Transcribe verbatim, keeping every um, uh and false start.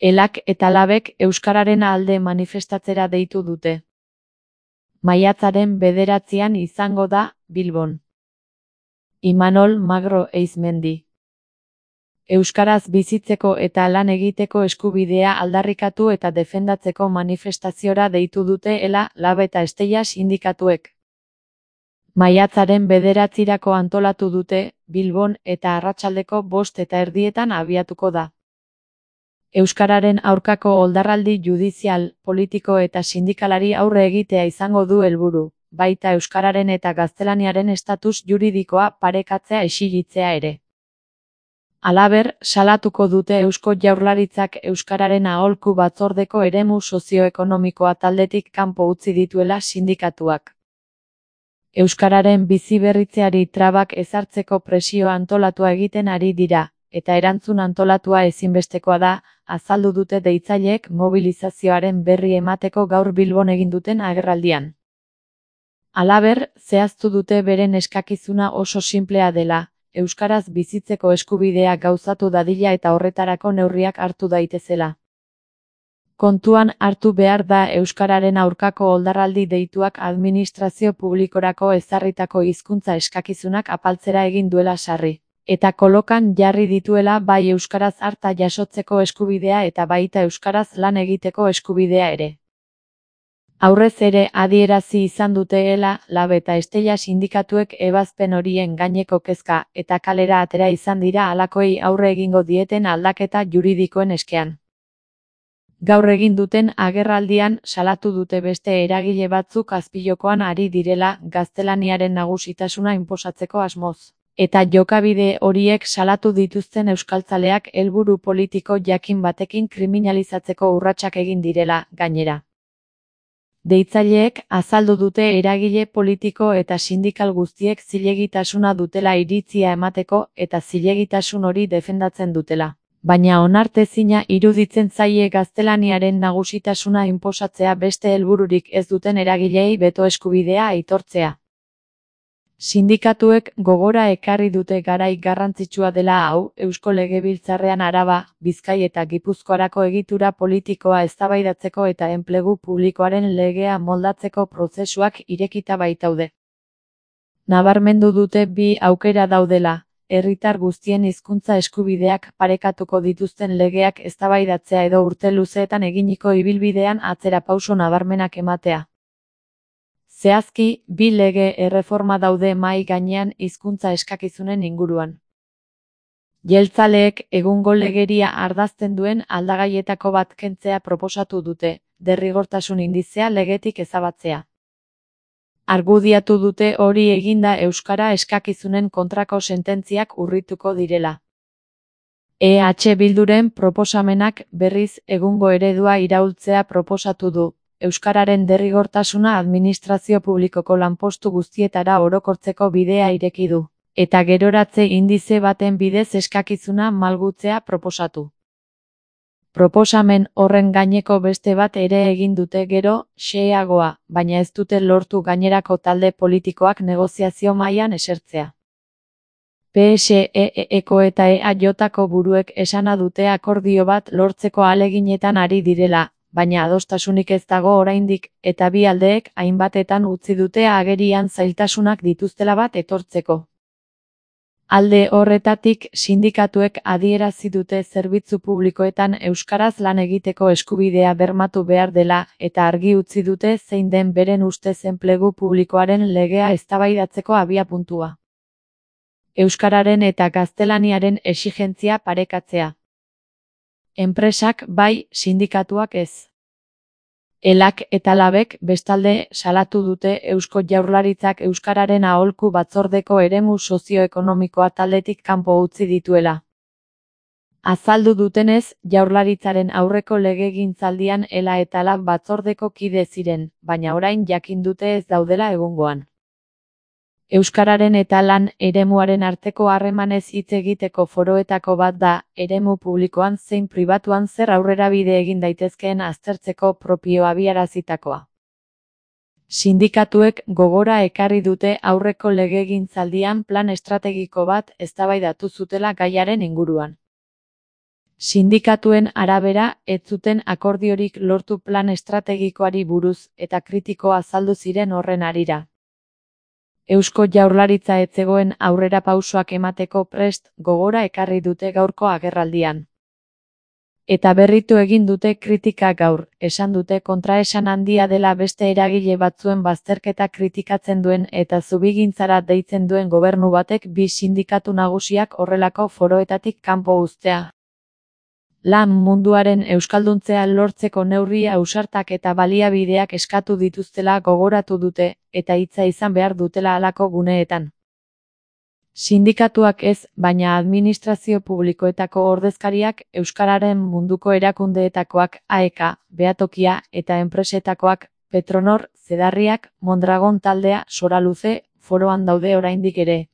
Elak eta labek euskararen alde manifestatzera deitu dute. Maiatzaren bederatzian izango da, Bilbon. Imanol Magro Eizmendi. Euskaraz bizitzeko eta lan egiteko eskubidea aldarrikatu eta defendatzeko manifestaziora deitu dute Ela, Lab eta Estella sindikatuek. Maiatzaren bederatzirako antolatu dute, Bilbon eta arratsaldeko bost eta erdietan abiatuko da. Euskararen aurkako oldarraldi judizial, politiko eta sindikalari aurre egitea izango du helburu, baita euskararen eta gaztelaniaren estatus juridikoa parekatzea exigitzea ere. Halaber, salatuko dute Eusko Jaurlaritzak euskararen aholku batzordeko eremu sozioekonomikoa taldetik kanpo utzi dituela sindikatuak. Euskararen biziberritzeari trabak ezartzeko presioa antolatua egiten ari dira, eta erantzun antolatua ezinbestekoa da, azaldu dute deitzaileek mobilizazioaren berri emateko gaur Bilbon egin duten agerraldian. Halaber, zehaztu dute beren eskakizuna oso sinplea dela, euskaraz bizitzeko eskubidea gauzatu dadila eta horretarako neurriak hartu daitezela. Kontuan hartu behar da euskararen aurkako oldarraldi deituak administrazio publikorako ezarritako hizkuntza eskakizunak apaltzera egin duela sarri, eta kolokan jarri dituela bai euskaraz harta jasotzeko eskubidea eta baita euskaraz lan egiteko eskubidea ere. Aurrez ere adierazi izan dute Ela, Lab eta Estella sindikatuek ebazpen horien gaineko kezka eta kalera atera izan dira halakoei aurre egingo dieten aldaketa juridikoen eskean. Gaur egin duten agerraldian salatu dute beste eragile batzuk azpijokoan ari direla gaztelaniaren nagusitasuna inposatzeko asmoz, eta jokabide horiek salatu dituzten euskaltzaleak helburu politiko jakin batekin kriminalizatzeko urratsak egin direla, gainera. Deitzaileek azaldu dute eragile politiko eta sindikal guztiek zilegitasuna dutela iritzia emateko eta zilegitasun hori defendatzen dutela. Baina onartezina iruditzen zaie gaztelaniaren nagusitasuna inposatzea beste helbururik ez duten eragileei beto eskubidea aitortzea. Sindikatuek gogora ekarri dute garai garrantzitsua dela hau, Eusko Legebiltzarrean Araba, Bizkai eta Gipuzkoarako egitura politikoa eztabaidatzeko eta enplegu publikoaren legea moldatzeko prozesuak irekita baitaude. Nabarmendu dute bi aukera daudela, herritar guztien hizkuntza eskubideak parekatuko dituzten legeak eztabaidatzea edo urte luzeetan eginiko ibilbidean atzerapauso nabarmenak ematea. Zehazki, bi lege erreforma daude mahai gainean hizkuntza eskakizunen inguruan. Jeltzaleek egungo legeria ardazten duen aldagaietako bat kentzea proposatu dute, derrigortasun indizea legetik ezabatzea. Argudiatu dute hori eginda euskara eskakizunen kontrako sententziak urrituko direla. E H Bilduren proposamenak berriz egungo eredua iraultzea proposatu du. Euskararen derrigortasuna administrazio publikoko lanpostu guztietara orokortzeko bidea ireki du, eta geroratze indize baten bidez eskakizuna malgutzea proposatu. Proposamen horren gaineko beste bat ere egin dute gero, xeheagoa, baina ez dute lortu gainerako talde politikoak negoziazio mailan esertzea. P S E Eko eta E A Jko buruek esana dute akordio bat lortzeko ahaleginetan ari direla, baina adostasunik ez dago oraindik, eta bi aldeek hainbatetan utzi dute agerian zailtasunak dituztela bat etortzeko. Alde horretatik sindikatuek adierazi dute zerbitzu publikoetan euskaraz lan egiteko eskubidea bermatu behar dela eta argi utzi dute zein den beren ustez enplegu publikoaren legea eztabaidatzeko abiapuntua. Euskararen eta gaztelaniaren exigentzia parekatzea. Enpresak bai, sindikatuak ez. Elak eta Labek bestalde salatu dute Eusko Jaurlaritzak euskararen aholku batzordeko eremu sozioekonomikoa taldetik kanpo utzi dituela. Azaldu dutenez, Jaurlaritzaren aurreko legegintzaldian Ela eta Lab batzordeko kide ziren, baina orain jakin dute ez daudela egungoan. Euskararen eta lan eremuaren arteko harremanez hitz egiteko foroetako bat da, eremu publikoan zein pribatuan zer aurrerabide egin daitezkeen aztertzeko propio abiarazitakoa. Sindikatuek gogora ekarri dute aurreko legegintzaldian plan estrategiko bat eztabaidatu zutela gaiaren inguruan. Sindikatuen arabera, ez zuten akordiorik lortu plan estrategikoari buruz eta kritiko azaldu ziren horren harira. Eusko Jaurlaritza ez zegoen aurrerapausoak emateko prest gogora ekarri dute gaurko agerraldian. Eta berritu egin dute kritika gaur, esan dute kontraesan handia dela beste eragile batzuen bazterketa kritikatzen duen eta zubigintzara deitzen duen gobernu batek bi sindikatu nagusiak horrelako foroetatik kanpo uztea. Lan munduaren euskalduntzea lortzeko neurri ausartak eta baliabideak eskatu dituztela gogoratu dute, eta hitza izan behar dutela halako guneetan. Sindikatuak ez, baina administrazio publikoetako ordezkariak, euskararen munduko erakundeetakoak, A E K, Behatokia eta enpresetakoak, Petronor, Zedarriak, Mondragon taldea, Soraluze, foroan daude oraindik ere.